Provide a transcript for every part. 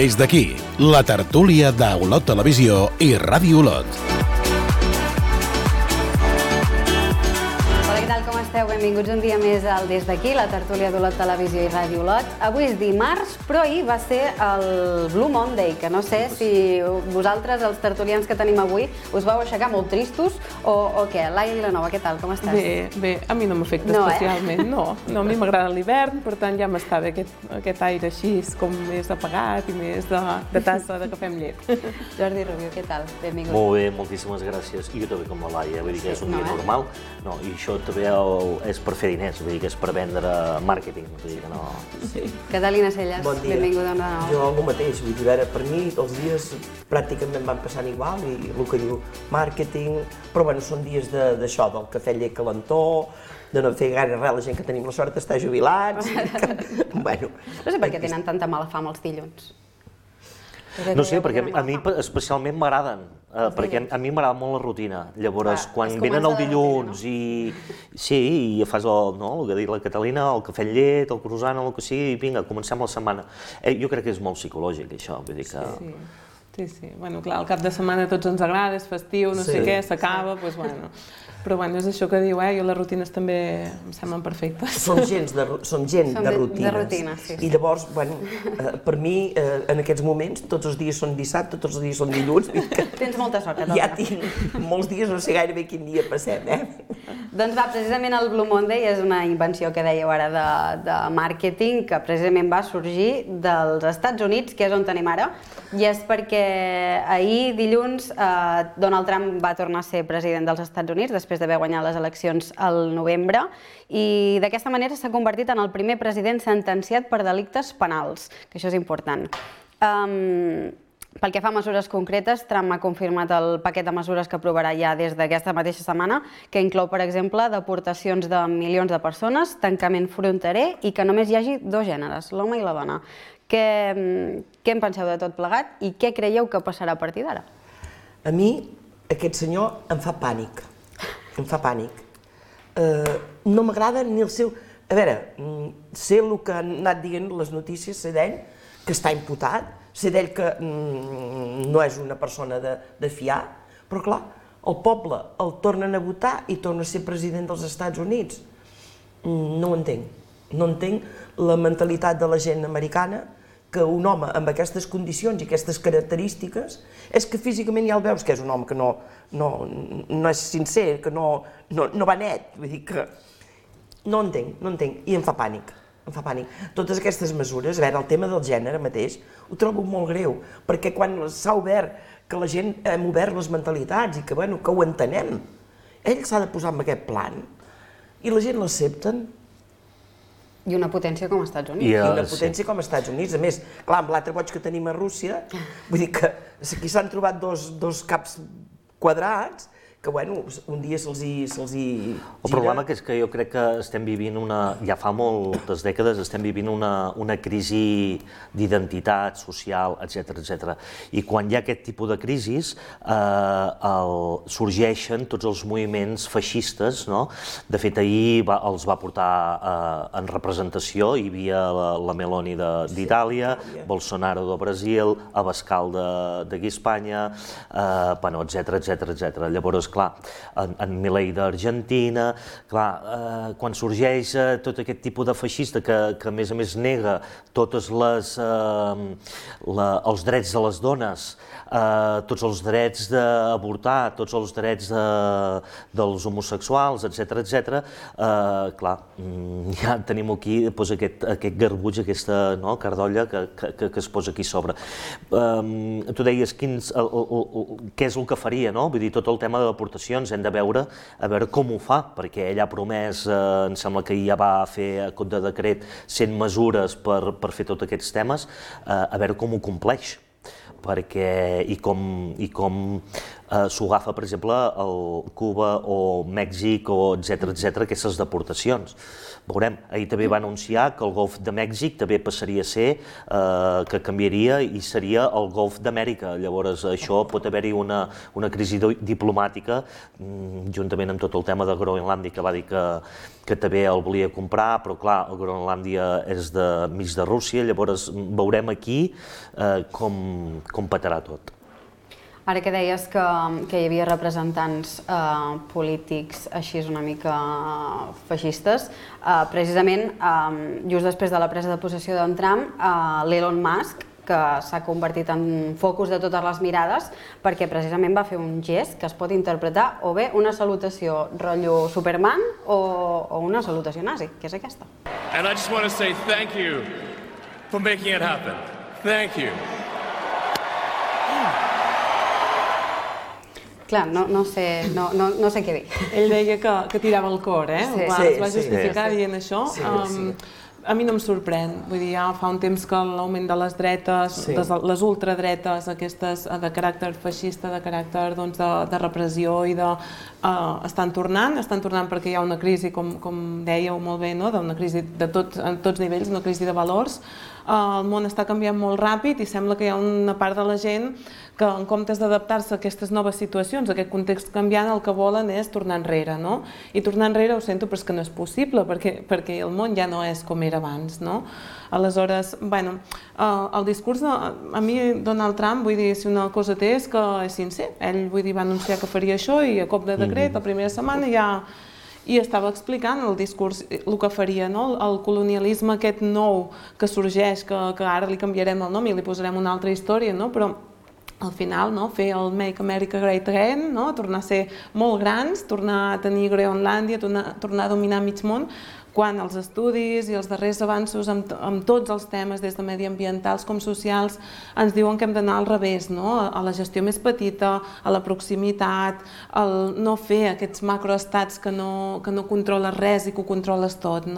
Des d'aquí, la tertúlia d'Olot Televisió i Ràdio Olot. Benvinguts un dia més al Des d'aquí, la tertúlia d'Olot Televisió i Ràdio Olot. Avui és dimarts, però ahir va ser el Blue Monday, que no sé si vosaltres, els tertulians que tenim avui, us vau aixecar molt tristos o què? Laia Vilanova, què tal? Com estàs? Bé, a mi no m'afecta especialment, no. A mi m'agrada l'hivern, per tant ja m'està bé aquest aire així, com més apagat i més de tassa de cafè amb llet. Jordi Rubio, què tal? Benvingut. Molt bé, moltíssimes gràcies. I jo també com la Laia, vull dir que és un dia normal. No, i això també és per fer diners, vull dir que és per vendre màrqueting, vull dir que no... Catalina Celles, benvinguda de nou. Jo el mateix, vull dir, per mi els dies pràcticament van passant igual i el que diu màrqueting, però bueno, són dies d'això, del cafè llet calentó, de no fer gaire res, la gent que tenim la sort d'estar jubilats, bueno... No sé per què tenen tanta mala fama els dilluns. No sé, perquè a mi especialment m'agraden, perquè a mi m'agrada molt la rutina. Llavors, quan venen el dilluns i fas el que ha dit la Catalina, el cafè amb llet, el croissant, el que sigui, i vinga, comencem la setmana. Jo crec que és molt psicològic, això, vull dir que... Sí. Bueno, clar, el cap de setmana a tots ens agrada, és festiu, no sé què, s'acaba, doncs bueno... Però bueno, és això que diu, jo les rutines també em semblen perfectes. Som gent de rutines. Sí. I llavors, bueno, per mi, en aquests moments, tots els dies són dissabte, tots els dies són dilluns. Tens molta sort, ja tinc molts dies, no sé gairebé quin dia passem, Doncs va, precisament el Blue Monday és una invenció que dèieu ara de màrqueting que precisament va sorgir dels Estats Units, que és on tenim ara, i és perquè ahir, dilluns, Donald Trump va tornar a ser president dels Estats Units, després d'haver guanyat les eleccions al novembre, i d'aquesta manera s'ha convertit en el primer president sentenciat per delictes penals, que això és important. Pel que fa a mesures concretes, Trump ha confirmat el paquet de mesures que aprovarà ja des d'aquesta mateixa setmana, que inclou, per exemple, deportacions de milions de persones, tancament fronterer i que només hi hagi dos gèneres, l'home i la dona. Què en penseu de tot plegat i què creieu que passarà a partir d'ara? A mi, aquest senyor em fa pànic. Em fa pànic. No m'agrada ni el seu... A veure, sé el que han anat dient les notícies, sé d'ell que està imputat, sé d'ell que no és una persona de fiar, però clar, el poble el tornen a votar i torna a ser president dels Estats Units. No ho entenc. No entenc la mentalitat de la gent americana que un home amb aquestes condicions i aquestes característiques és que físicament ja el veus que és un home que no és sincer, que no va net, vull dir que no entenc, i em fa pànic. Totes aquestes mesures, a veure, el tema del gènere mateix, ho trobo molt greu, perquè quan s'ha obert, que la gent hem obert les mentalitats i que ho entenem, ell s'ha de posar en aquest plan i la gent l'accepten. I una potència com els Estats Units. I una potència com els Estats Units. A més, clar, amb l'altre boig que tenim a Rússia, vull dir que aquí s'han trobat dos caps quadrats que, un dia se'ls hi... El problema és que jo crec que estem vivint ja fa moltes dècades, estem vivint una crisi d'identitat social, etc. I quan hi ha aquest tipus de crisis, sorgeixen tots els moviments feixistes, no? De fet, ahir els va portar en representació, hi havia la Meloni d'Itàlia, Bolsonaro de Brasil, Abascal d'aquí a Espanya, etc. Llavors, clar, en Milei d'Argentina, clar, quan sorgeix tot aquest tipus de feixista que a més nega tots els drets de les dones, tots els drets d'avortar, tots els drets dels homosexuals, etc. Clar, ja tenim aquí aquest garbuig, aquesta cardolla que es posa aquí a sobre. Tu deies què és el que faria, no? Vull dir, tot el tema de deportacions hem de veure com ho fa, perquè ell ha promès, em sembla que ja va fer a cop de decret 100 mesures per fer tots aquests temes, a veure com ho compleix. I com s'ho agafa, per exemple, Cuba o Mèxic, o etcètera, aquestes deportacions. Veurem, ahir també va anunciar que el Golf de Mèxic també passaria a ser, que canviaria i seria el Golf d'Amèrica. Llavors, això pot haver-hi una crisi diplomàtica, juntament amb tot el tema de Groenlàndia, que va dir que també el volia comprar, però clar, el Groenlàndia és mig de Rússia, llavors veurem aquí com petarà tot. Ara que deies que hi havia representants polítics així una mica feixistes, precisament just després de la presa de possessió d'en Trump, l'Elon Musk, que s'ha convertit en focus de totes les mirades, perquè precisament va fer un gest que es pot interpretar o bé una salutació rotllo Superman o una salutació nazi, que és aquesta. And I just want to say thank you for making it happen. Thank you. Clar, no sé què dir. Ell deia que tirava el cor, es va justificar dient això. A mi no em sorprèn, vull dir, ja fa un temps que l'augment de les dretes, les ultradretes, aquestes de caràcter feixista, de caràcter de repressió i estan tornant perquè hi ha una crisi, com dèieu molt bé, d'una crisi de tots nivells, una crisi de valors. El món està canviant molt ràpid i sembla que hi ha una part de la gent que en comptes d'adaptar-se a aquestes noves situacions, a aquest context canviant, el que volen és tornar enrere, no? I tornar enrere, ho sento, però és que no és possible, perquè el món ja no és com era abans, no? Aleshores, bueno, el discurs, a mi Donald Trump, vull dir, si una cosa té és que és sincer. Ell, vull dir, va anunciar que faria això i a cop de decret, la primera setmana ja... I estava explicant el discurs, el que faria, el colonialisme aquest nou que sorgeix, que ara li canviarem el nom i li posarem una altra història, però al final fer el Make America Great Again, tornar a ser molt grans, tornar a tenir Groenlàndia, tornar a dominar mig món, quan els estudis i els darrers avanços amb tots els temes, des de mediambientals com socials, ens diuen que hem d'anar al revés, a la gestió més petita, a la proximitat, al no fer aquests macroestats que no controles res i que ho controles tot.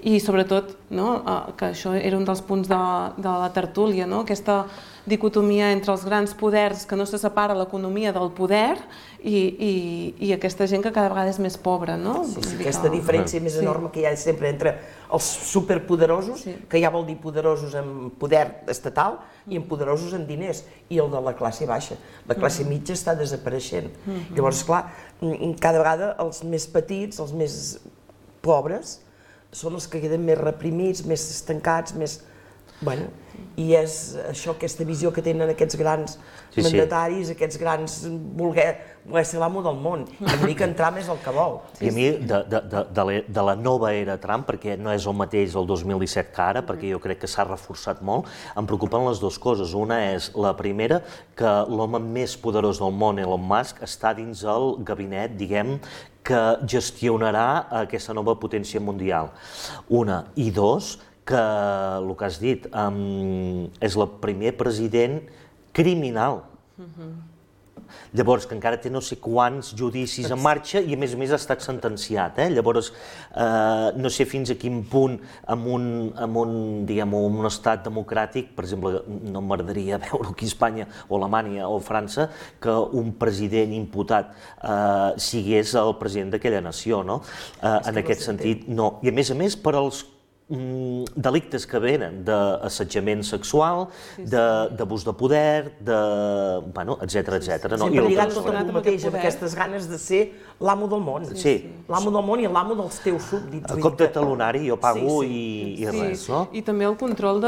I sobretot, que això era un dels punts de la tertúlia, aquesta dicotomia entre els grans poders, que no se separa l'economia del poder, i aquesta gent que cada vegada és més pobra. Aquesta diferència més enorme que hi ha sempre entre els superpoderosos, que ja vol dir poderosos en poder estatal i en poderosos en diners, i el de la classe baixa. La classe mitja està desapareixent. Llavors, clar, cada vegada els més petits, els més pobres, són els que queden més reprimits, més estancats, més... I és això, aquesta visió que tenen aquests grans mandataris, aquests grans voler ser l'amo del món. I a mi que en Trump és el que vol. I a mi, de la nova era Trump, perquè no és el mateix el 2017 que ara, perquè jo crec que s'ha reforçat molt, em preocupen les dues coses. Una és, la primera, que l'home més poderós del món, Elon Musk, està dins el gabinet, diguem, que gestionarà aquesta nova potència mundial. Una. I dos, que el que has dit, és el primer president criminal. Llavors, que encara té no sé quants judicis en marxa i a més ha estat sentenciat. Llavors, no sé fins a quin punt en un estat democràtic, per exemple, no m'agradaria veure aquí a Espanya o Alemanya o França, que un president imputat sigués el president d'aquella nació. En aquest sentit, no. I a més, per als delictes que venen d'assetjament sexual, d'abús de poder, etcètera. Sempre lligat tot amb el mateix, amb aquestes ganes de ser l'amo del món. L'amo del món i l'amo dels teus súbdits. A cop de talonari jo pago i res, no? I també el control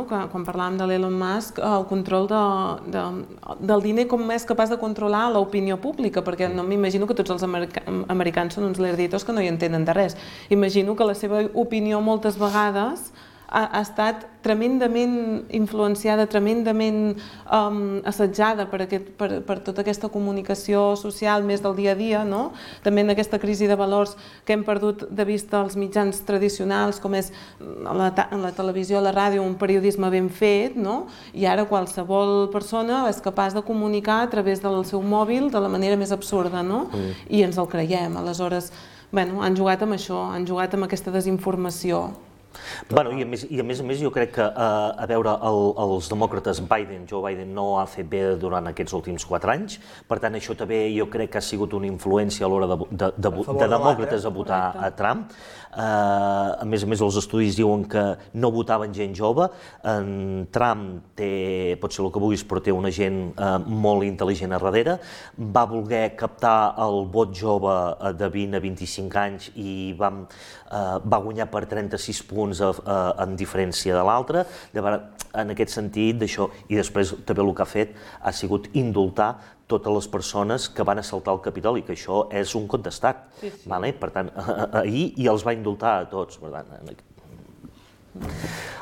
quan parlàvem de l'Elon Musk, el control del diner, com és capaç de controlar l'opinió pública, perquè no m'imagino que tots els americans són uns lerditos que no hi entenen de res. Imagino que la seva opinió moltes vegades ha estat tremendament influenciada, tremendament assetjada per tota aquesta comunicació social més del dia a dia, també en aquesta crisi de valors que hem perdut de vista els mitjans tradicionals, com és la televisió, la ràdio, un periodisme ben fet, i ara qualsevol persona és capaç de comunicar a través del seu mòbil de la manera més absurda, i ens el creiem. Aleshores, han jugat amb això, han jugat amb aquesta desinformació. I a més jo crec que, a veure, els demòcrates, Joe Biden no ha fet bé durant aquests últims 4 anys, per tant això també jo crec que ha sigut una influència a l'hora de demòcrates a votar a Trump. A més, els estudis diuen que no votaven gent jove. Trump té, pot ser el que vulguis, però té una gent molt intel·ligent a darrere. Va voler captar el vot jove de 20 a 25 anys i va guanyar per 36 punts en diferència de l'altre. En aquest sentit d'això, i després també el que ha fet ha sigut indultar totes les persones que van assaltar el Capitoli, que això és un cop d'estat. Per tant, ahir i els va indultar a tots.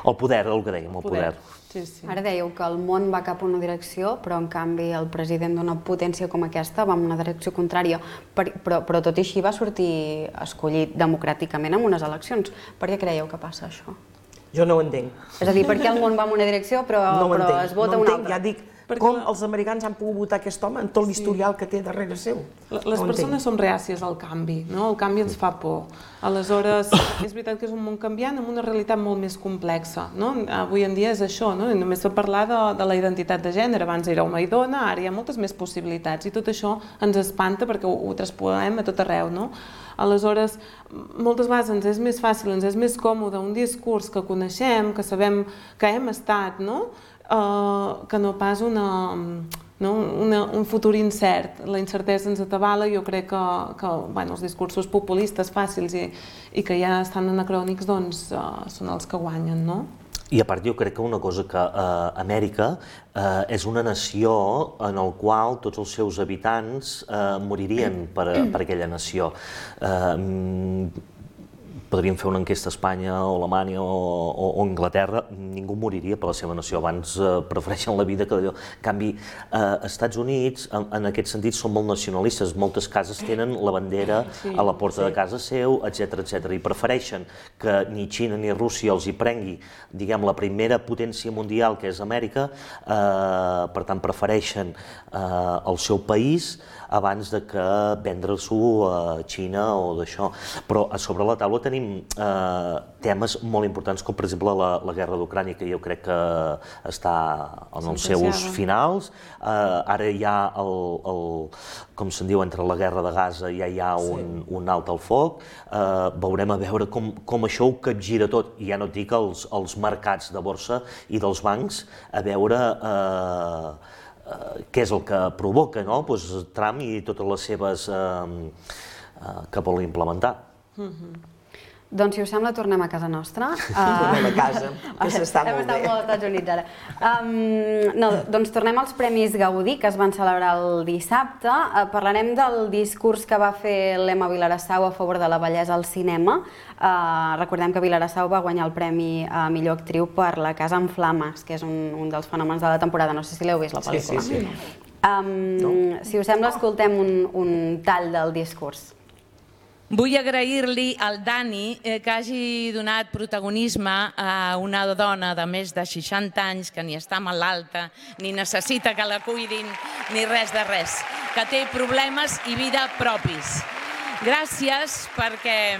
El poder, el que dèiem, el poder. Ara dèieu que el món va cap a una direcció, però en canvi el president d'una potència com aquesta va en una direcció contrària. Però tot i així va sortir escollit democràticament en unes eleccions. Per què creieu que passa això? Jo no ho entenc. És a dir, per què el món va en una direcció però es vota una altra? Ja dic, com els americans han pogut votar aquest home en tot l'historial que té darrere seu? Les persones som reàcies al canvi, no? El canvi ens fa por. Aleshores, és veritat que és un món canviant amb una realitat molt més complexa, no? Avui en dia és això, no? Només per parlar de la identitat de gènere. Abans era home i dona, ara hi ha moltes més possibilitats i tot això ens espanta perquè ho trasponem a tot arreu, no? Aleshores, moltes vegades ens és més fàcil, ens és més còmode un discurs que coneixem, que sabem que hem estat, no? Que no pas un futur incert. La incertesa ens atabala. Jo crec que els discursos populistes fàcils i que ja estan anacrònics doncs són els que guanyen, no? I a part jo crec que una cosa que Amèrica és una nació en la qual tots els seus habitants moririen per aquella nació. Podríem fer una enquesta a Espanya o Alemanya o Anglaterra, ningú moriria per la seva nació, abans prefereixen la vida que allò. En canvi, als Estats Units, en aquest sentit, són molt nacionalistes, moltes cases tenen la bandera a la porta de casa seu, etc. I prefereixen que ni Xina ni Rússia els hi prengui, diguem, la primera potència mundial, que és Amèrica, per tant, prefereixen el seu país abans de que vendre-s'ho a Xina o d'això. Però a sobre la taula tenim temes molt importants com, per exemple, la guerra d'Ucrània, que jo crec que està en els seus finals. Ara hi ha, com se'n diu, entre la guerra de Gaza ja hi ha un alt al foc. Veurem a veure com això ho capgira tot. I ja no et dic els mercats de borsa i dels bancs, a veure què és el que provoca Trump i totes les seves que vol implementar. Doncs, si us sembla, tornem a casa nostra. Tornem a casa, que s'està molt bé. Hem estat molt als Estats Units, ara. Doncs tornem als Premis Gaudí, que es van celebrar el dissabte. Parlarem del discurs que va fer l'Emma Vilarassau a favor de la bellesa al cinema. Recordem que Vilarassau va guanyar el Premi a millor actriu per La casa en flames, que és un dels fenòmens de la temporada. No sé si l'heu vist, la pel·lícula. Sí. Si us sembla, escoltem un tall del discurs. Vull agrair-li al Dani que hagi donat protagonisme a una dona de més de 60 anys que ni està malalta, ni necessita que la cuidin, ni res de res, que té problemes i vida propis. Gràcies perquè,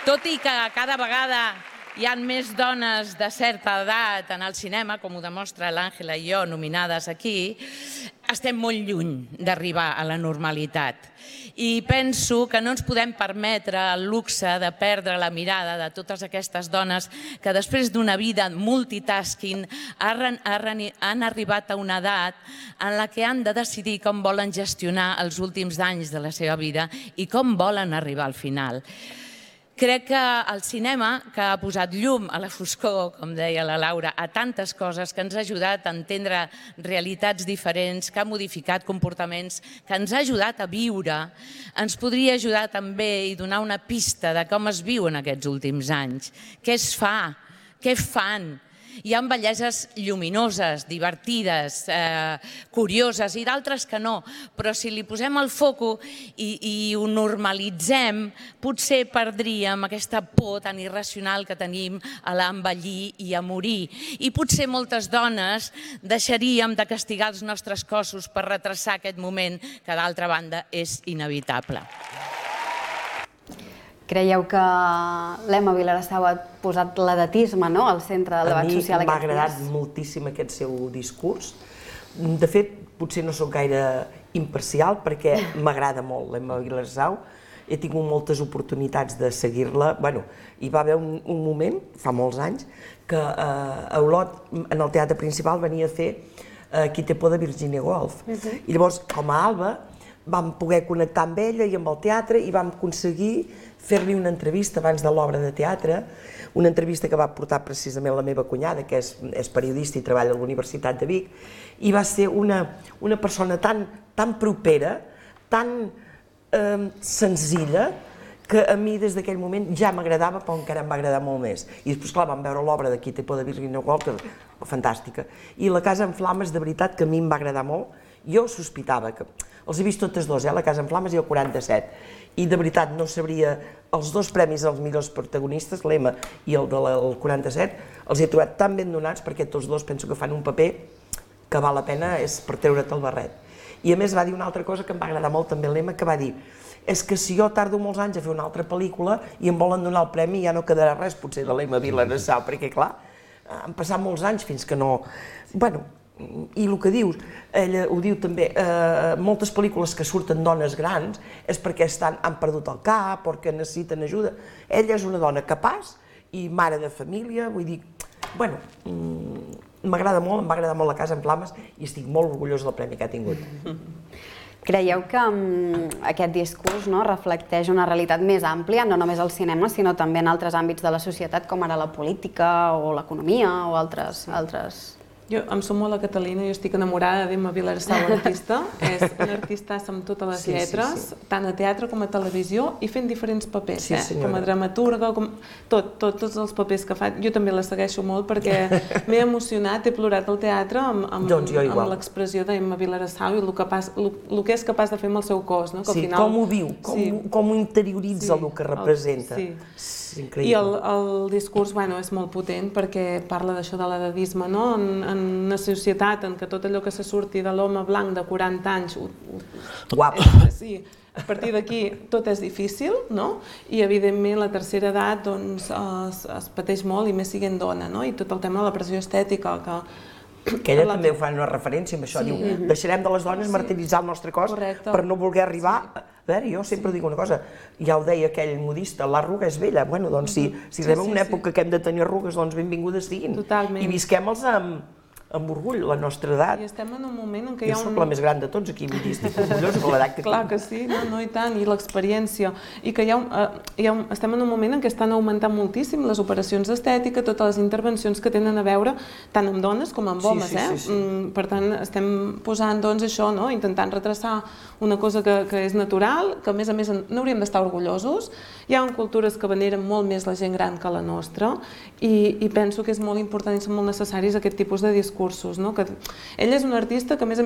tot i que cada vegada hi ha més dones de certa edat en el cinema, com ho demostra l'Àngela i jo, nominades aquí, estem molt lluny d'arribar a la normalitat. I penso que no ens podem permetre el luxe de perdre la mirada de totes aquestes dones que després d'una vida multitasking han arribat a una edat en la que han de decidir com volen gestionar els últims anys de la seva vida i com volen arribar al final. Crec que el cinema, que ha posat llum a la foscor, com deia la Laura, a tantes coses, que ens ha ajudat a entendre realitats diferents, que ha modificat comportaments, que ens ha ajudat a viure, ens podria ajudar també i donar una pista de com es viu en aquests últims anys. Què es fa? Què fan? Hi ha belleses lluminoses, divertides, curioses i d'altres que no, però si li posem el foco i ho normalitzem, potser perdríem aquesta por tan irracional que tenim a l'envellir i a morir. I potser moltes dones deixaríem de castigar els nostres cossos per retrasar aquest moment que, d'altra banda, és inevitable. Creieu que l'Emma Vilarsau ha posat l'edatisme al centre del debat social aquests dies? A mi m'ha agradat moltíssim aquest seu discurs. De fet, potser no sóc gaire imparcial perquè m'agrada molt l'Emma Vilarsau. He tingut moltes oportunitats de seguir-la. Hi va haver un moment, fa molts anys, que a Olot, en el teatre principal, venia a fer Qui té por de Virginia Woolf. I llavors, com a Alba, vam poder connectar amb ella i amb el teatre i vam aconseguir fer-li una entrevista abans de l'obra de teatre, una entrevista que va portar precisament la meva cunyada, que és periodista i treballa a la Universitat de Vic, i va ser una persona tan propera, tan senzilla, que a mi des d'aquell moment ja m'agradava, però encara em va agradar molt més. I després, clar, vam veure l'obra de Qui té por de Virginia Woolf, fantàstica. I La casa en flames, de veritat, que a mi em va agradar molt. Jo sospitava que... Els he vist totes dos, La casa en flames i el 47. I de veritat no sabria... Els dos premis als millors protagonistes, l'Emma i el del 47, els he trobat tan ben donats perquè tots dos penso que fan un paper que val la pena és per treure't el barret. I a més va dir una altra cosa que em va agradar molt també l'Emma, que va dir és que si jo tardo molts anys a fer una altra pel·lícula i em volen donar el premi ja no quedarà res potser de l'Emma Vilarsau, perquè clar, han passat molts anys fins que no... I el que dius, ella ho diu també, moltes pel·lícules que surten dones grans és perquè han perdut el cap o que necessiten ajuda. Ella és una dona capaç i mare de família, vull dir, m'agrada molt, em va agradar molt La casa en flames i estic molt orgullós del premi que ha tingut. Creieu que aquest discurs reflecteix una realitat més àmplia, no només al cinema, sinó també en altres àmbits de la societat, com ara la política o l'economia o altres... Jo em sumo a la Catalina, jo estic enamorada d'Emma Vilarsau, l'artista. És una artista amb totes les lletres, tant a teatre com a televisió, i fent diferents papers, com a dramaturga, tots els papers que fa. Jo també la segueixo molt perquè m'he emocionat, he plorat al teatre amb l'expressió d'Emma Vilarsau i el que és capaç de fer amb el seu cos. Sí, com ho viu, com ho interioritza el que representa. I el discurs és molt potent perquè parla d'això de l'edadisme, en una societat en què tot allò que se surti de l'home blanc de 40 anys... Guapo! Sí, a partir d'aquí tot és difícil, i evidentment la tercera edat es pateix molt i més siguent dona, i tot el tema de la pressió estètica que ella també ho fa una referència amb això, diu, deixarem de les dones martiritzar el nostre cos per no voler arribar... A veure, jo sempre dic una cosa, ja ho deia aquell modista, l'arruga és vella, doncs si arribem a una època que hem de tenir arrugues, doncs benvingudes siguin. I visquem-les amb orgull, la nostra edat. I estem en un moment en què hi ha Jo soc la més gran de tots aquí, vull dir, estic orgullosa de l'edat que tinc. Clar que sí, no i tant, i l'experiència. I que estem en un moment en què estan augmentant moltíssim les operacions d'estètica, totes les intervencions que tenen a veure tant amb dones com amb homes. Per tant, estem posant això, intentant retraçar una cosa que és natural, que a més n'hauríem d'estar orgullosos. Hi ha cultures que veneren molt més la gent gran que la nostra i penso que és molt important i són molt necessaris aquest tipus de discursos. Ella és una artista que, a més,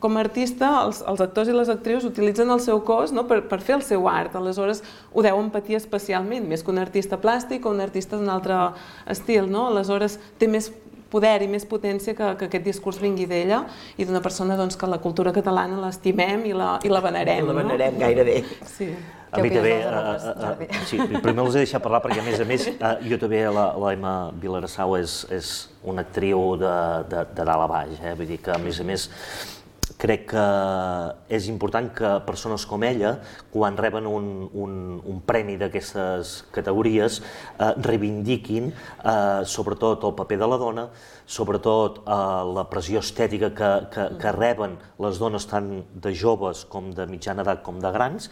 com a artista, els actors i les actrius utilitzen el seu cos per fer el seu art. Aleshores, ho deuen patir especialment, més que un artista plàstic o un artista d'un altre estil. Aleshores, té més poder i més potència que aquest discurs vingui d'ella i d'una persona que la cultura catalana l'estimem i la venerem. La venerem gairebé. A mi també, primer els he deixat parlar perquè, a més, jo també, l'Emma Vilarsau és una actriu de dalt a baix, vull dir que, a més, crec que és important que persones com ella, quan reben un premi d'aquestes categories, reivindiquin sobretot el paper de la dona, sobretot la pressió estètica que reben les dones tant de joves com de mitjana edat com de grans,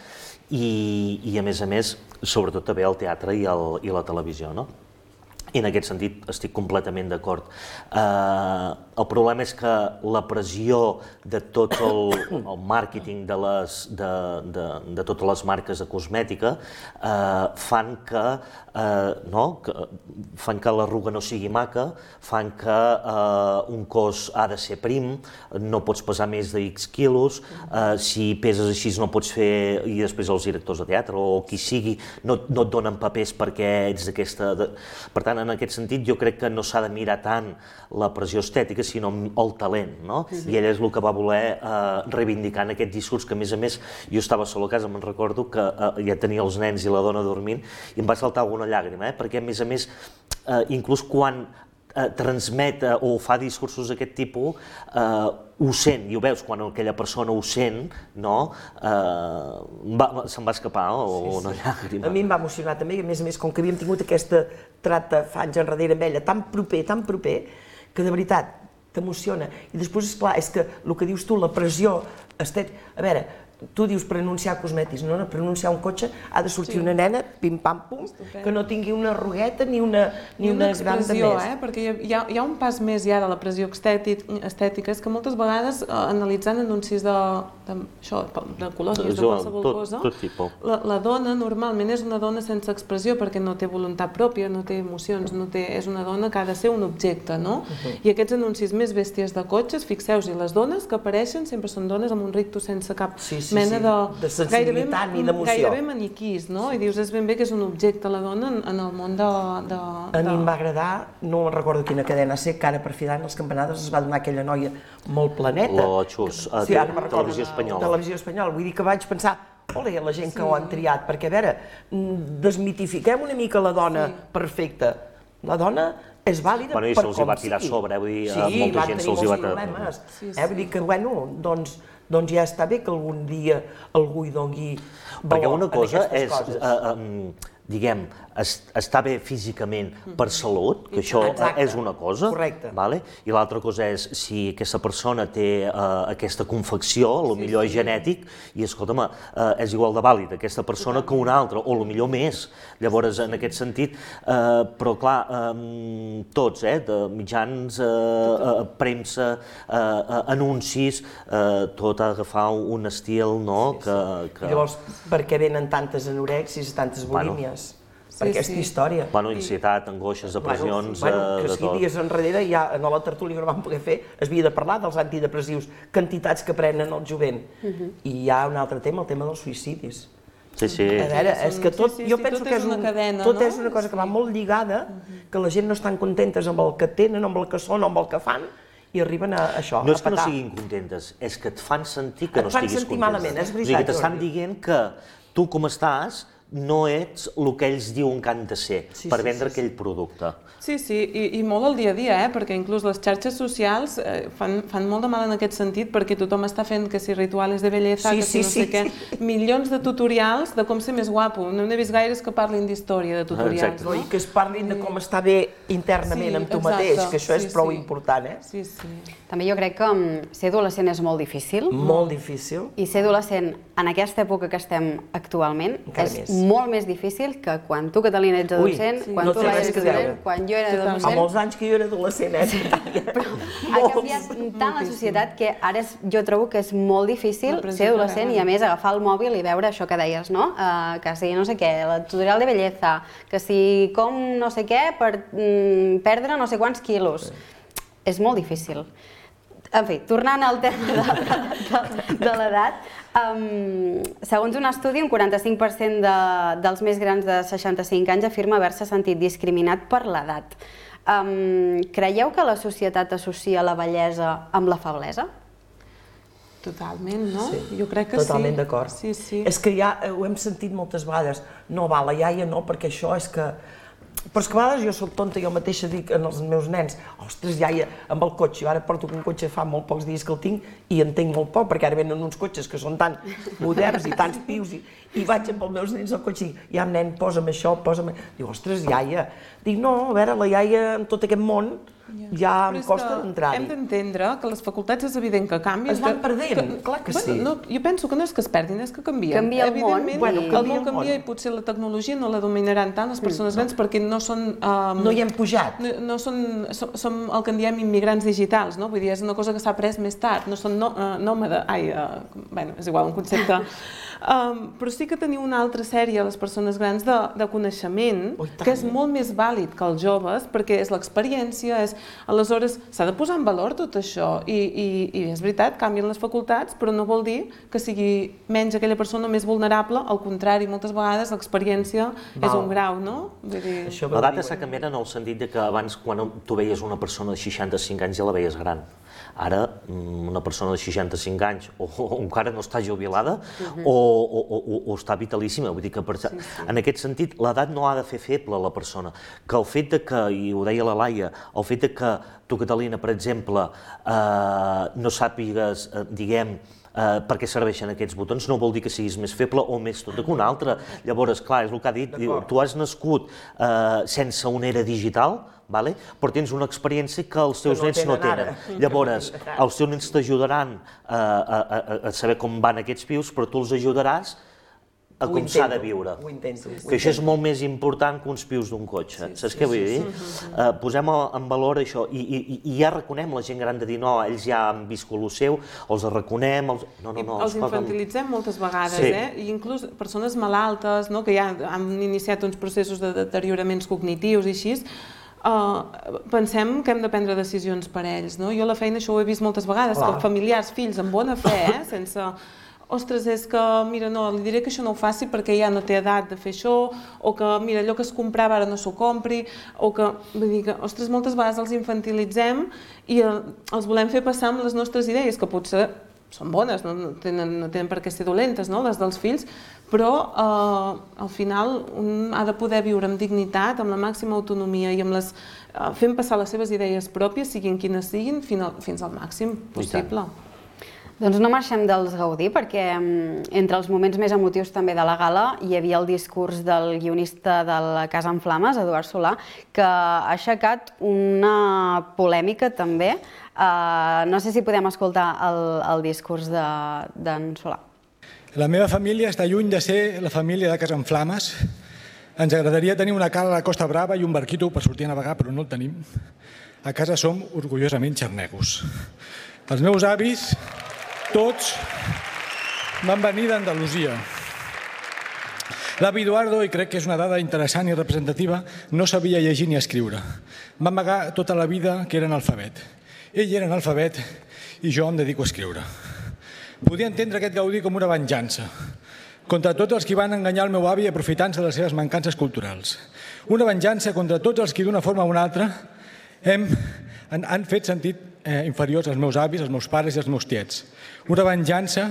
i a més, sobretot també el teatre i la televisió. I en aquest sentit estic completament d'acord. El problema és que la pressió de tot el màrqueting de totes les marques de cosmètica fan que l'arruga no sigui maca, fan que un cos ha de ser prim, no pots pesar més de X quilos, si peses així no pots fer, i després els directors de teatre o qui sigui no et donen papers perquè ets d'aquesta... Per tant, tant, en aquest sentit, jo crec que no s'ha de mirar tant la pressió estètica, sinó el talent, no? I ell és el que va voler reivindicar en aquest discurs, que a més, jo estava sol a casa, me'n recordo que ja tenia els nens i la dona dormint, i em va saltar alguna llàgrima, perquè a més, inclús quan transmet o fa discursos d'aquest tipus, ho sent, i ho veus, quan aquella persona ho sent, se'n va escapar una llàgrima. A mi em va emocionar també, i a més, com que havíem tingut aquesta trata fa anys enrere amb ella, tan proper, que de veritat t'emociona. I després, esclar, és que el que dius tu, la pressió estètica... A veure, tu dius per anunciar cosmètics, no? Per anunciar un cotxe ha de sortir una nena, pim-pam-pum, que no tingui una arrugueta ni una gran de més. Perquè hi ha un pas més ja de la pressió estètica, és que moltes vegades, analitzant anuncis de colònies, de qualsevol cosa, la dona normalment és una dona sense expressió perquè no té voluntat pròpia, no té emocions, és una dona que ha de ser un objecte, no? I aquests anuncis més bèsties de cotxes, fixeu-vos, les dones que apareixen sempre són dones amb un rictus sense cap mena de sensibilitat ni d'emoció. Gairebé maniquís, no? I dius, és ben bé que és un objecte la dona en el món de... A mi em va agradar, no recordo quina cadena ser, que ara per fi d'any les campanades es va donar aquella noia molt planeta. L'Oxus, Televisió Espanyola. Televisió Espanyola, vull dir que vaig pensar, ole, la gent que ho han triat, perquè a veure, desmitifiquem una mica la dona perfecta. La dona és vàlida per com sigui. Bueno, i se'ls va tirar a sobre, vull dir, molta gent se'ls va tirar. Vull dir que, bueno, doncs ja està bé que algun dia algú hi doni valor a aquestes coses. Perquè una cosa és, diguem, estar bé físicament per salut, que això és una cosa, i l'altra cosa és si aquesta persona té aquesta confecció, potser és genètic, i escolta'm, és igual de vàlid aquesta persona que una altra, o potser més. Llavors, en aquest sentit, però clar, tots, mitjans, premsa, anuncis, tot ha d'agafar un estil, no? Llavors, per què venen tantes anorèxies i tantes bulímies? Per aquesta història. Bueno, ansietat, angoixes, depressions, de tot. Que 5 dies enrere, ja a la tertúlia que no vam poder fer, es havia de parlar dels antidepressius, quantitats que prenen el jovent. I hi ha un altre tema, el tema dels suïcidis. Sí. A veure, és que tot, jo penso que tot és una cosa que va molt lligada, que la gent no estan contentes amb el que tenen, amb el que són, amb el que fan, i arriben a això, a petar. No és que no siguin contentes, és que et fan sentir que no estiguis contenta. Et fan sentir malament, és veritat. O sigui, que t'estan dient que tu com estàs no ets el que ells diuen que han de ser per vendre aquell producte. Sí, i molt al dia a dia, perquè inclús les xarxes socials fan molt de mal en aquest sentit, perquè tothom està fent que si rituals de bellesa, que si no sé què, milions de tutorials de com ser més guapo. No n'he vist gaires que parlin d'història de tutorials. I que es parlin de com estar bé internament amb tu mateix, que això és prou important, Sí. També jo crec que ser adolescent és molt difícil. Molt difícil. I ser adolescent en aquesta època que estem actualment és molt més difícil que quan tu, Catalina, ets adolescent, quan tu eres adolescent, quan jo era adolescent. Fa molts anys que jo era adolescent, Però ha canviat tant la societat que ara jo trobo que és molt difícil ser adolescent i a més agafar el mòbil i veure això que deies, no? Que si no sé què, el tutorial de bellesa, que si com no sé què per perdre no sé quants quilos. És molt difícil. En fi, tornant al tema de l'edat, segons un estudi, un 45% dels més grans de 65 anys afirma haver-se sentit discriminat per l'edat. Creieu que la societat associa la bellesa amb la feblesa? Totalment, no? Jo crec que sí. Totalment d'acord. És que ja ho hem sentit moltes vegades. No, va, la iaia no, perquè això és que... Però és que a vegades jo soc tonta, jo mateixa dic als meus nens, ostres, iaia, amb el cotxe, jo ara porto un cotxe fa molt pocs dies que el tinc i entenc molt poc, perquè ara venen uns cotxes que són tan moderns i tants pius, i vaig amb els meus nens al cotxe i ja, nen, posa'm això, posa'm... Diu, ostres, iaia. Dic, no, a veure, la iaia en tot aquest món ja em costa d'entrar-hi. Hem d'entendre que les facultats és evident que canvien. Es van perdent, clar que sí. Jo penso que no és que es perdin, és que canvien. Canvia el món. Evidentment, el món canvia i potser la tecnologia no la dominaran tant les persones grans perquè no són... No hi hem pujat. No són el que en diem immigrants digitals, no? Vull dir, és una cosa que s'ha après més tard, no són nòmades... Ai, bé, és igual, un concepte Però sí que teniu una altra sèrie, les persones grans, de coneixement, que és molt més vàlid que els joves, perquè és l'experiència, aleshores s'ha de posar en valor tot això, i és veritat, canvien les facultats, però no vol dir que sigui menys aquella persona més vulnerable, al contrari, moltes vegades l'experiència és un grau, no? L'edat està canviant en el sentit que abans, quan tu veies una persona de 65 anys, ja la veies gran. Ara, una persona de 65 anys o encara no està jubilada o està vitalíssima. Vull dir que, en aquest sentit, l'edat no ha de fer feble la persona. Que el fet que, i ho deia la Laia, el fet que tu, Catalina, per exemple, no sàpigues, diguem, per què serveixen aquests botons, no vol dir que siguis més feble o més tot que un altre. Llavors, clar, és el que ha dit, tu has nascut sense una era digital, però tens una experiència que els teus nens no tenen. Llavors, els teus nens t'ajudaran a saber com van aquests pius, però tu els ajudaràs a com s'ha de viure. Que això és molt més important que uns pius d'un cotxe. Saps què vull dir? Posem en valor això i ja reconem la gent gran de dir no, ells ja han viscut el seu, els reconem... Els infantilitzem moltes vegades, i inclús persones malaltes que ja han iniciat uns processos de deterioraments cognitius i així, pensem que hem de prendre decisions per ells. Jo a la feina això ho he vist moltes vegades, que familiars, fills amb bona fe, sense... Ostres, és que, mira, no, li diré que això no ho faci perquè ja no té edat de fer això, o que, mira, allò que es comprava ara no s'ho compri, o que, vull dir que, ostres, moltes vegades els infantilitzem i els volem fer passar amb les nostres idees, que potser són bones, no tenen per què ser dolentes, les dels fills, però al final un ha de poder viure amb dignitat, amb la màxima autonomia i fent passar les seves idees pròpies, siguin quines siguin, fins al màxim possible. Doncs no marxem dels Gaudí, perquè entre els moments més emotius també de la gala hi havia el discurs del guionista de La Casa en Flames, Eduard Solà, que ha aixecat una polèmica també. No sé si podem escoltar el discurs d'en Solà. La meva família està lluny de ser la família de Casa en Flames. Ens agradaria tenir una cala a la Costa Brava i un barquito per sortir a navegar, però no el tenim. A casa som orgullosament xarnegos. Els meus avis... Tots van venir d'Andalusia. L'avi Eduardo, i crec que és una dada interessant i representativa, no sabia llegir ni escriure. Va amagar tota la vida que era analfabet. Ell era analfabet i jo em dedico a escriure. Podia entendre aquest Gaudí com una venjança contra tots els que van enganyar el meu avi aprofitant-se de les seves mancances culturals. Una venjança contra tots els que d'una forma o una altra han fet sentit inferiors als meus avis, als meus pares i als meus tiets. Una venjança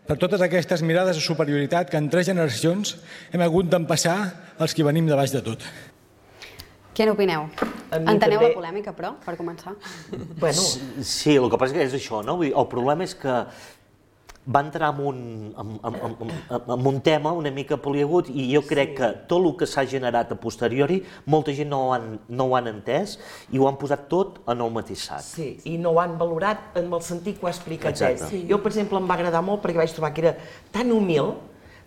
per totes aquestes mirades de superioritat que en 3 generacions hem hagut d'empassar els que venim de baix de tot. Què n'opineu? Enteneu la polèmica, però, per començar? Sí, el que passa és això, no? El problema és que va entrar en un tema una mica poliagut i jo crec que tot el que s'ha generat a posteriori molta gent no ho han entès i ho han posat tot en el mateix sac. Sí, i no ho han valorat en el sentit que ho ha explicat ell. Jo, per exemple, em va agradar molt perquè vaig trobar que era tan humil,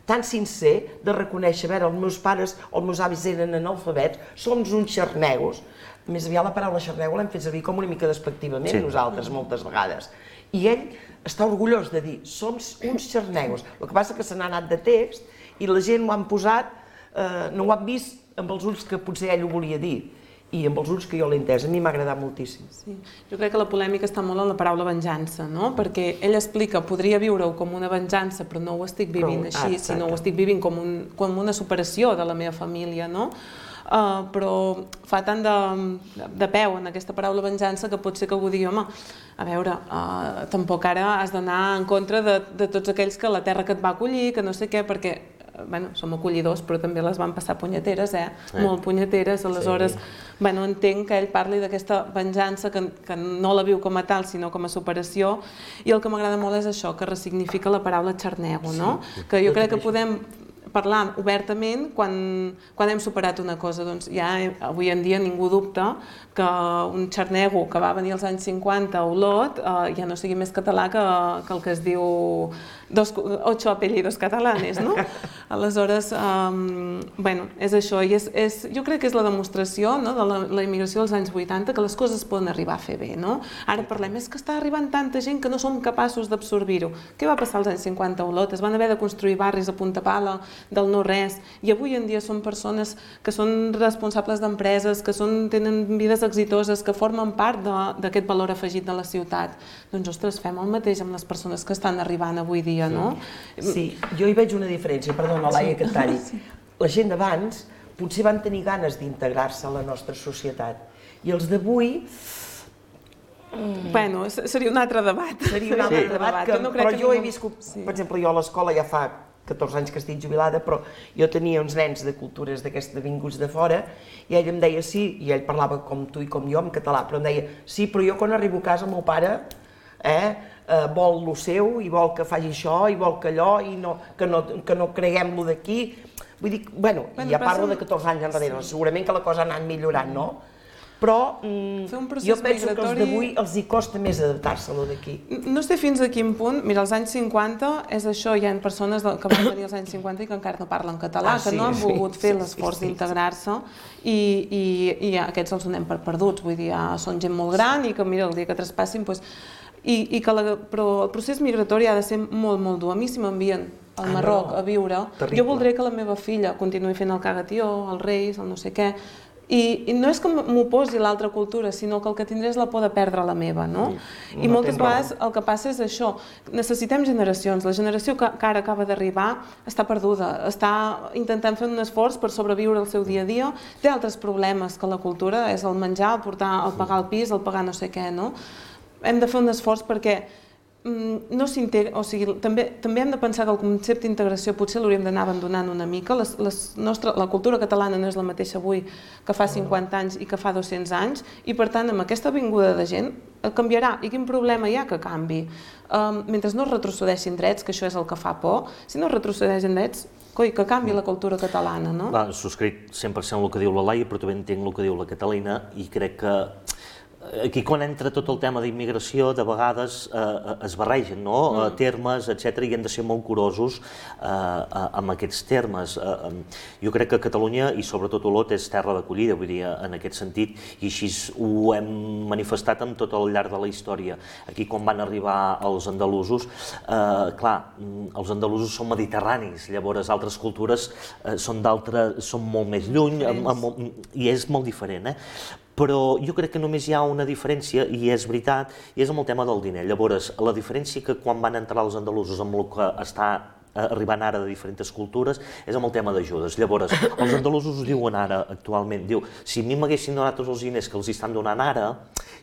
tan sincer, de reconèixer, a veure, els meus pares o els meus avis eren analfabets, som uns xarnegos. Més aviat la paraula xarnego l'hem fet servir com una mica despectivament nosaltres moltes vegades. I ell està orgullós de dir, som uns xarnegos. El que passa és que se n'ha anat de text i la gent ho han posat, no ho han vist amb els ulls que potser ell ho volia dir i amb els ulls que jo l'he entès. A mi m'ha agradat moltíssim. Jo crec que la polèmica està molt en la paraula venjança, perquè ell explica, podria viure-ho com una venjança, però no ho estic vivint així, sinó ho estic vivint com una superació de la meva família, però fa tant de peu en aquesta paraula venjança que pot ser que algú digui, home, a veure, tampoc ara has d'anar en contra de tots aquells que la terra que et va acollir, que no sé què, perquè som acollidors, però també les van passar punyeteres, molt punyeteres, aleshores entenc que ell parli d'aquesta venjança que no la viu com a tal, sinó com a superació, i el que m'agrada molt és això, que ressignifica la paraula xarnego, que jo crec que parlar obertament quan hem superat una cosa. Doncs ja avui en dia ningú dubta que un xarnego que va venir als anys 50 a Olot ja no sigui més català que el que es diu 8 apellidos catalanes, no? Aleshores, bueno, és això. Jo crec que és la demostració de la immigració dels anys 80 que les coses poden arribar a fer bé, no? Ara parlem, és que està arribant tanta gent que no som capaços d'absorbir-ho. Què va passar als anys 50 a Olot? Es van haver de construir barris a punta pala del no-res i avui en dia són persones que són responsables d'empreses, que tenen vides exitoses, que formen part d'aquest valor afegit de la ciutat. Doncs, ostres, fem el mateix amb les persones que estan arribant avui dia, no? Sí, jo hi veig una diferència, perdona, Laia, que et talli. La gent d'abans potser van tenir ganes d'integrar-se a la nostra societat i els d'avui... Bueno, seria un altre debat. Seria un altre debat, però jo he viscut, per exemple, jo a l'escola ja fa 14 anys que estic jubilada, però jo tenia uns nens de cultures d'aquestes vinguts de fora i ell em deia sí, i ell parlava com tu i com jo en català, però em deia sí, però jo quan arribo a casa el meu pare vol lo seu i vol que faci això i vol que allò i que no creguem lo d'aquí. Vull dir, bueno, ja parlo de 14 anys enrere, segurament que la cosa ha anat millorant, no? Però jo penso que els d'avui els hi costa més adaptar-se a lo d'aquí. No sé fins a quin punt. Mira, als anys 50 és això, hi ha persones que van venir als anys 50 i que encara no parlen català, que no han volgut fer l'esforç d'integrar-se i aquests els donem per perduts. Vull dir, són gent molt gran i que, mira, el dia que traspassin, però el procés migratori ha de ser molt, molt dur. A mi, si m'envien al Marroc a viure, jo voldré que la meva filla continuï fent el cagatió, els reis, el no sé què. I no és que m'oposi a l'altra cultura, sinó que el que tindré és la por de perdre la meva, no? I moltes vegades el que passa és això, necessitem generacions, la generació que ara acaba d'arribar està perduda, està intentant fer un esforç per sobreviure el seu dia a dia, té altres problemes que la cultura, és el menjar, el pagar el pis, el pagar no sé què, no? Hem de fer un esforç perquè no s'integra, o sigui, també hem de pensar que el concepte d'integració potser l'hauríem d'anar abandonant una mica. La cultura catalana no és la mateixa avui que fa 50 anys i que fa 200 anys i, per tant, amb aquesta vinguda de gent canviarà. I quin problema hi ha que canvi? Mentre no es retrocedeixin drets, que això és el que fa por, si no es retrocedeixen drets, que canvi la cultura catalana, no? Subscric 100% el que diu la Laia, però també entenc el que diu la Catalina i crec que aquí, quan entra tot el tema d'immigració, de vegades es barregen termes, etc., i hem de ser molt curosos amb aquests termes. Jo crec que Catalunya, i sobretot Olot, és terra d'acollida, vull dir, en aquest sentit, i així ho hem manifestat amb tot el llarg de la història. Aquí, quan van arribar els andalusos, clar, els andalusos són mediterranis, llavors altres cultures són molt més lluny, i és molt diferent, però jo crec que només hi ha una diferència, i és veritat, i és amb el tema del diner. Llavors, la diferència que quan van entrar els andalusos amb el que està arribant ara de diferents cultures és amb el tema d'ajudes. Llavors, els andalusos ho diuen ara, actualment, diu, si a mi m'haguessin donat tots els diners que els estan donant ara,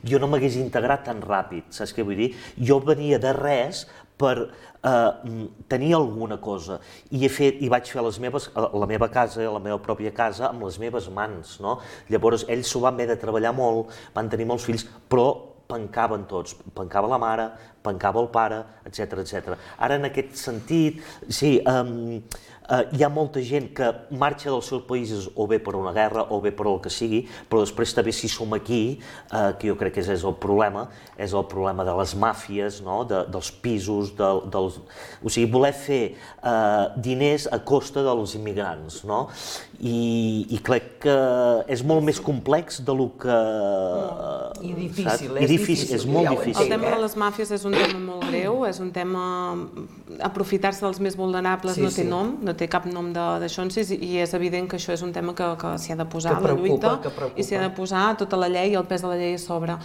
jo no m'hagués integrat tan ràpid, saps què vull dir? Jo venia de res per tenir alguna cosa i vaig fer la meva casa, la meva pròpia casa, amb les meves mans, no? Llavors ells s'ho van haver de treballar molt, van tenir molts fills, però pencaven tots, pencava la mare, pencava el pare, etc. Ara, en aquest sentit, sí, hi ha molta gent que marxa dels seus països o bé per una guerra o bé per el que sigui, però després també si som aquí, que jo crec que és el problema de les màfies, dels pisos, o sigui, voler fer diners a costa dels immigrants, no? I crec que és molt més complex del que... I difícil, és molt difícil. El tema de les màfies és un tema molt greu, és un tema... Aprofitar-se dels més vulnerables no té nom, no té cap nom d'això en si, i és evident que això és un tema que s'hi ha de posar a la lluita i s'hi ha de posar tota la llei i el pes de la llei a sobre.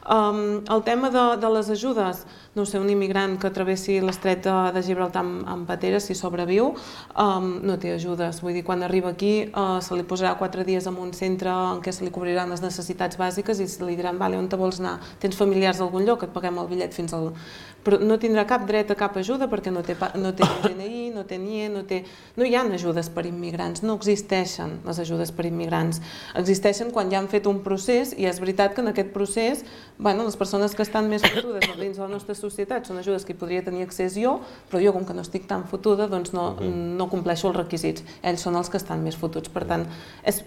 El tema de les ajudes, no sé, un immigrant que travessi l'estret de Gibraltar amb patera, si sobreviu, no té ajudes. Vull dir, quan arriba aquí se li posarà 4 dies en un centre en què se li cobriran les necessitats bàsiques i se li diran, vale, on te vols anar? Tens familiars a algun lloc, et paguem el bitllet fins al... Però no tindrà cap dret a cap ajuda perquè no té DNI, no té NIE, no hi ha ajudes per immigrants, no existeixen les ajudes per immigrants. Existeixen quan ja han fet un procés i és veritat que en aquest procés les persones que estan més fotudes dins de la nostra societat són ajudes que hi podria tenir accés jo, però jo com que no estic tan fotuda doncs no compleixo els requisits. Ells són els que estan més fotuts, per tant és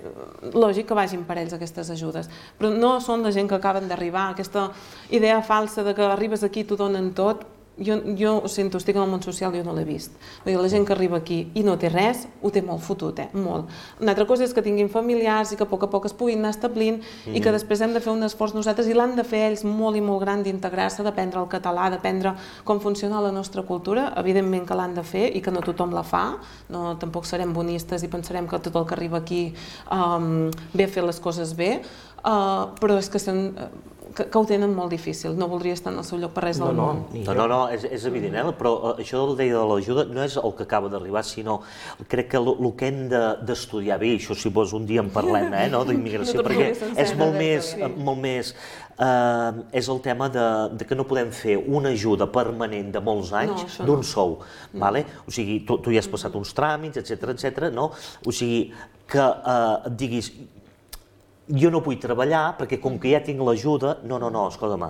lògic que vagin per ells aquestes ajudes, però no són la gent que acaben d'arribar, aquesta idea falsa de que arribes aquí i t'ho donen tot. Jo ho sento, estic en el món social i jo no l'he vist. La gent que arriba aquí i no té res, ho té molt fotut, molt. Una altra cosa és que tinguin familiars i que a poc es puguin anar establint i que després hem de fer un esforç nosaltres i l'han de fer ells molt i molt gran d'integrar-se, d'aprendre el català, d'aprendre com funciona la nostra cultura. Evidentment que l'han de fer i que no tothom la fa. Tampoc serem bonistes i pensarem que tot el que arriba aquí ve a fer les coses bé, però és que ho tenen molt difícil, no voldria estar en el seu lloc per res del món. No, és evident, però això del deia de l'ajuda no és el que acaba d'arribar, sinó crec que el que hem d'estudiar bé, això si vols un dia en parlem, d'immigració, perquè és molt més, és el tema que no podem fer una ajuda permanent de molts anys d'un sou, o sigui, tu ja has passat uns tràmits, etcètera, no? O sigui, que et diguis jo no vull treballar perquè com que ja tinc l'ajuda, no, escolta-me,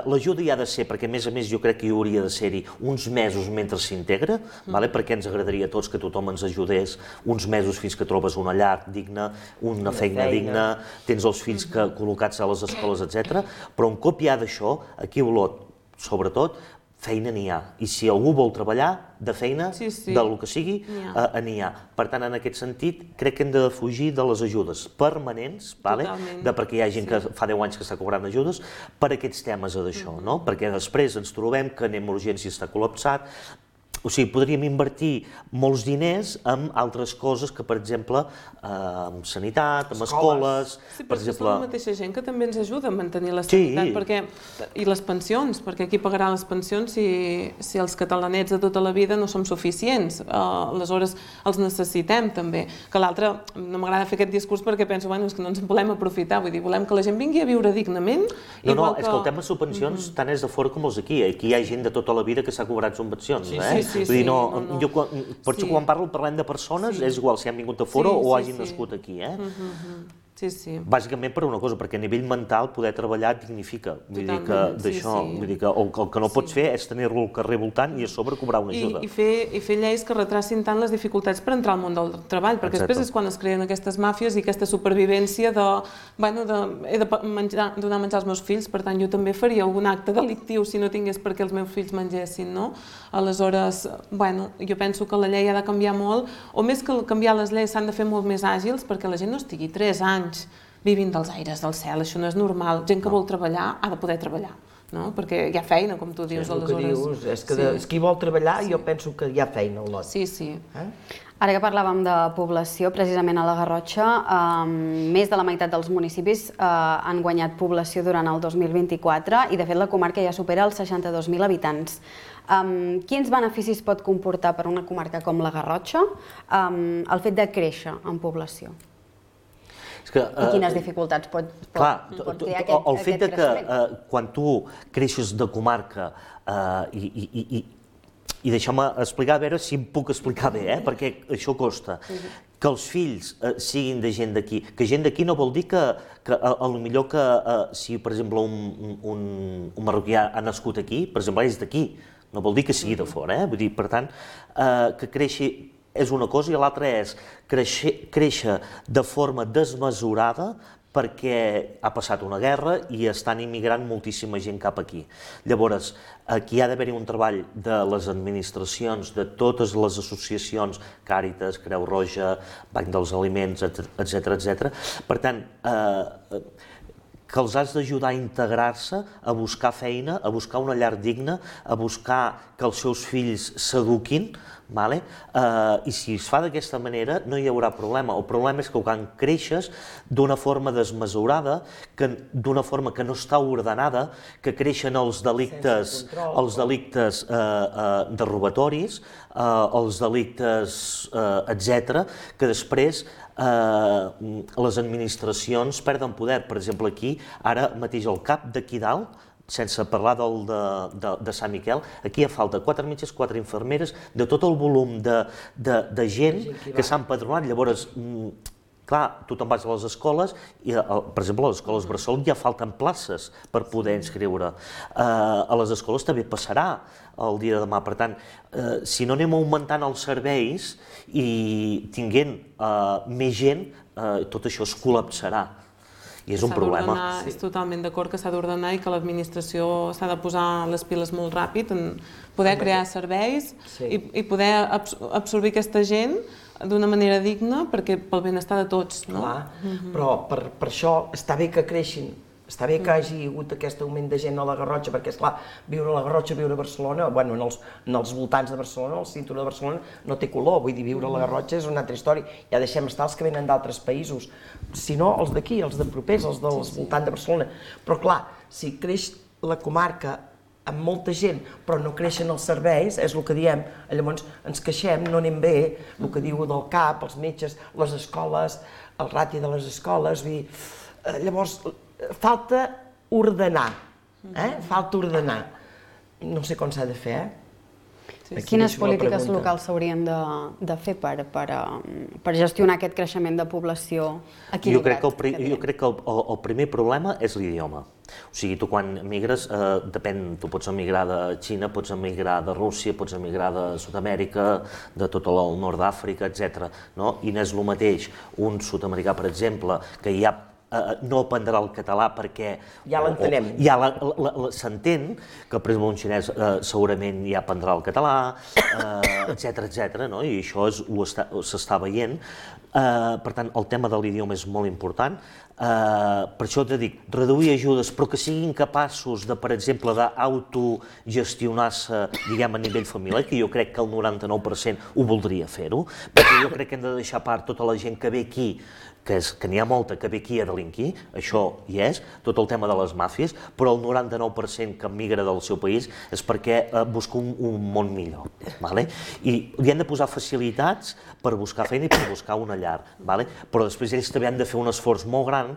l'ajuda hi ha de ser, perquè a més jo crec que hi hauria de ser-hi uns mesos mentre s'integra, perquè ens agradaria a tots que tothom ens ajudés uns mesos fins que trobes una llar digna, una feina digna, tens els fills col·locats a les escoles, etc. Però un cop hi ha d'això, aquí a Olot, sobretot, feina n'hi ha. I si algú vol treballar, de feina, del que sigui, n'hi ha. Per tant, en aquest sentit, crec que hem de fugir de les ajudes permanents, perquè hi ha gent que fa 10 anys que està cobrant ajudes, per aquests temes d'això, perquè després ens trobem que anem a urgència i està col·lapsat. O sigui, podríem invertir molts diners en altres coses que, per exemple, en sanitat, en escoles... Sí, però és la mateixa gent que també ens ajuda a mantenir la sanitat i les pensions, perquè qui pagarà les pensions si els catalanets de tota la vida no som suficients? Aleshores, els necessitem també. Que l'altre, no m'agrada fer aquest discurs perquè penso, és que no ens en volem aprofitar, vull dir, volem que la gent vingui a viure dignament. No, és que el tema subvencions tant és de fora com els d'aquí. Aquí hi ha gent de tota la vida que s'ha cobrat subvencions, Vull dir, quan parlem de persones, és igual si han vingut de fora o hagin nascut aquí, Bàsicament per una cosa, perquè a nivell mental poder treballar et dignifica. Vull dir que d'això, vull dir que el que no pots fer és tenir-lo al carrer voltant i a sobre cobrar una ajuda. I fer lleis que retracin tant les dificultats per entrar al món del treball, perquè després és quan es creen aquestes màfies i aquesta supervivència de he de donar menjar als meus fills, per tant jo també faria algun acte delictiu si no tingués perquè els meus fills mengessin, no? Aleshores, jo penso que la llei ha de canviar molt, o més que canviar les lleis s'han de fer molt més àgils perquè la gent no estigui 3 anys vivint dels aires del cel, això no és normal. Gent que vol treballar ha de poder treballar, perquè hi ha feina, com tu dius, aleshores. És que qui vol treballar jo penso que hi ha feina al lot. Sí. Ara que parlàvem de població, precisament a la Garrotxa, més de la meitat dels municipis han guanyat població durant el 2024 i, de fet, la comarca ja supera els 62.000 habitants. Quins beneficis pot comportar per una comarca com la Garrotxa el fet de créixer en població? I quines dificultats pot crear aquest creixement? El fet que quan tu creixes de comarca i deixa'm explicar, a veure si em puc explicar bé, perquè això costa, que els fills siguin de gent d'aquí, que gent d'aquí no vol dir que potser que si, per exemple, un marroquí ha nascut aquí, per exemple, és d'aquí, no vol dir que sigui de fora, vull dir, per tant, que creixi és una cosa i l'altra és créixer de forma desmesurada perquè ha passat una guerra i estan immigrant moltíssima gent cap aquí. Llavors, aquí ha d'haver-hi un treball de les administracions, de totes les associacions, Càritas, Creu Roja, Banc dels Aliments, etc. Per tant, que els has d'ajudar a integrar-se, a buscar feina, a buscar una llar digna, a buscar que els seus fills s'eduquin, i si es fa d'aquesta manera no hi haurà problema. El problema és que quan creixes d'una forma desmesurada, d'una forma que no està ordenada, que creixen els delictes de robatoris, els delictes, etc., que després les administracions perden poder. Per exemple, aquí, ara mateix el cap d'aquí dalt, sense parlar de Sant Miquel, aquí hi ha falta 4 metges, 4 infermeres, de tot el volum de gent que s'ha empadronat. Llavors, clar, tu te'n vas a les escoles i, per exemple, a les escoles bressol ja falten places per poder inscriure. A les escoles també passarà el dia de demà. Per tant, si no anem augmentant els serveis i tinguent més gent, tot això es col·lapsarà. I és un problema. És totalment d'acord que s'ha d'ordenar i que l'administració s'ha de posar les piles molt ràpid en poder crear serveis i poder absorbir aquesta gent d'una manera digna pel benestar de tots. Clar, però per això està bé que creixin, està bé que hagi hagut aquest augment de gent a la Garrotxa, perquè, esclar, viure a la Garrotxa, viure a Barcelona, bueno, en els voltants de Barcelona, el cinturó de Barcelona, no té color, vull dir, viure a la Garrotxa és una altra història. Ja deixem estar els que venen d'altres països, sinó els d'aquí, els de propers, els del voltant de Barcelona. Però, clar, si creix la comarca amb molta gent, però no creixen els serveis, és el que diem, llavors ens queixem, no anem bé, el que diu del CAP, els metges, les escoles, el rati de les escoles, llavors falta ordenar, falta ordenar. No sé com s'ha de fer, Quines polítiques locals s'haurien de fer per gestionar aquest creixement de població equilibrat? Jo crec que el primer problema és l'idioma. O sigui, tu quan migres, depèn, tu pots emigrar de Xina, pots emigrar de Rússia, pots emigrar de Sud-amèrica, de tot el nord d'Àfrica, etc. I no és el mateix un sud-americà, per exemple, que ja no aprendrà el català perquè ja l'entenem. Ja s'entén que, per exemple, un xinès segurament ja aprendrà el català, etc. I això s'està veient. Per tant, el tema de l'idioma és molt important. Per això t'he dit, reduir ajudes, però que siguin capaços de, per exemple, d'autogestionar-se, diguem, a nivell familiar, que jo crec que el 99% ho voldria fer-ho, perquè jo crec que hem de deixar a part tota la gent que ve aquí, que n'hi ha molta que ve aquí a delinquir, això hi és, tot el tema de les màfies, però el 99% que migra del seu país és perquè busca un món millor. I li han de posar facilitats per buscar feina i per buscar una llar, però després ells també han de fer un esforç molt gran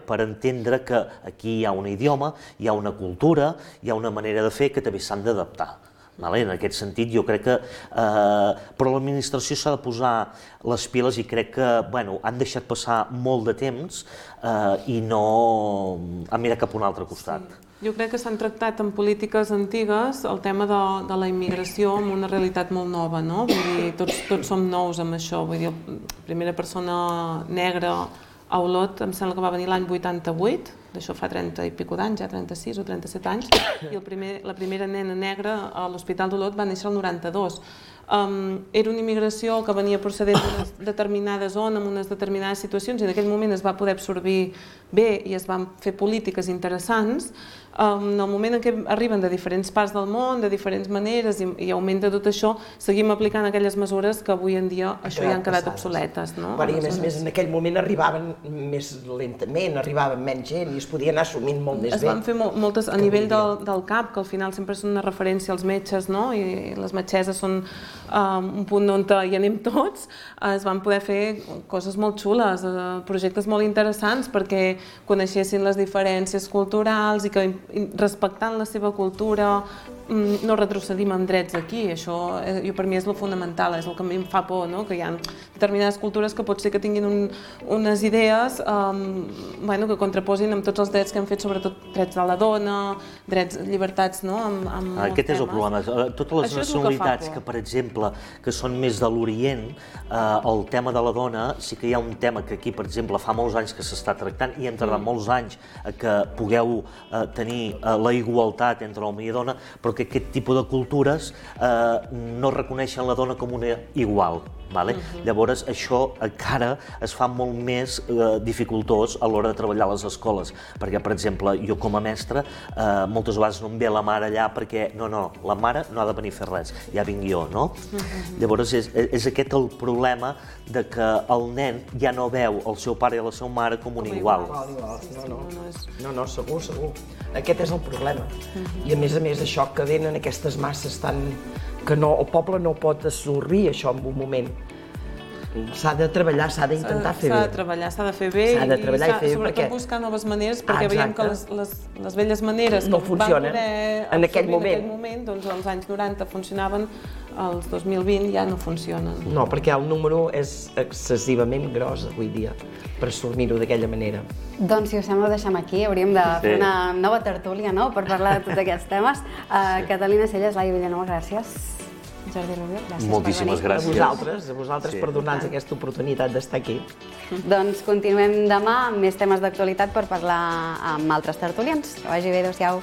per entendre que aquí hi ha un idioma, hi ha una cultura, hi ha una manera de fer que també s'han d'adaptar. En aquest sentit, jo crec que... Però l'administració s'ha de posar les piles i crec que han deixat passar molt de temps i no han mirat cap a un altre costat. Jo crec que s'han tractat en polítiques antigues el tema de la immigració amb una realitat molt nova, no? Vull dir, tots som nous amb això. Vull dir, la primera persona negra a Olot em sembla que va venir l'any 88, d'això fa 30 i escaig d'anys, ja 36 o 37 anys, i la primera nena negra a l'Hospital d'Olot va néixer el 92. Era una immigració que venia procedent d'una determinada zona, amb unes determinades situacions, i en aquell moment es va poder absorbir bé i es van fer polítiques interessants. En el moment en què arriben de diferents parts del món, de diferents maneres, i augmenta tot això, seguim aplicant aquelles mesures que avui en dia això ja han quedat obsoletes. I a més, en aquell moment arribaven més lentament, arribaven menys gent i es podia anar assumint molt més bé. Es van fer moltes, a nivell del CAP, que al final sempre són una referència als metges, i les metgesses són un punt on hi anem tots, es van poder fer coses molt xules, projectes molt interessants perquè coneixessin les diferències culturals i que respectant la seva cultura no retrocedim en drets aquí. Això per mi és el fonamental, és el que a mi em fa por, que hi ha determinades cultures que pot ser que tinguin unes idees que contraposin amb tots els drets que han fet, sobretot drets de la dona, drets, llibertats, Aquest és el problema. Totes les nacionalitats que, per exemple, que són més de l'Orient, el tema de la dona, sí que hi ha un tema que aquí, per exemple, fa molts anys que s'està tractant i hem tardat molts anys que pugueu tenir la igualtat entre home i dona, però que aquest tipus de cultures no reconeixen la dona com una igual. Llavors, això encara es fa molt més dificultós a l'hora de treballar a les escoles, perquè, per exemple, jo com a mestre moltes vegades no em ve la mare allà perquè no, la mare no ha de venir a fer res, ja vinc jo, no? Llavors, és aquest el problema de que el nen ja no veu el seu pare i la seva mare com un igual. No, segur. Aquest és el problema. I a més, això que venen aquestes masses tan... que el poble no pot absorbir això en un moment. s'ha de treballar, s'ha d'intentar fer bé. S'ha de treballar, s'ha de fer bé i sobretot buscar noves maneres, perquè veiem que les velles maneres no funcionen en aquell moment, doncs als anys 90 funcionaven, als 2020 ja no funcionen. No, perquè el número és excessivament gros avui dia per assumir-ho d'aquella manera. Doncs si us sembla ho deixem aquí, hauríem de fer una nova tertúlia per parlar de tots aquests temes. Catalina Celles, Laia Vilanova, gràcies. Jordi Rubio, gràcies. Moltíssimes gràcies. A vosaltres per donar-nos aquesta oportunitat d'estar aquí. Doncs continuem demà amb més temes d'actualitat per parlar amb altres tertulians. Que vagi bé, adéu-siau.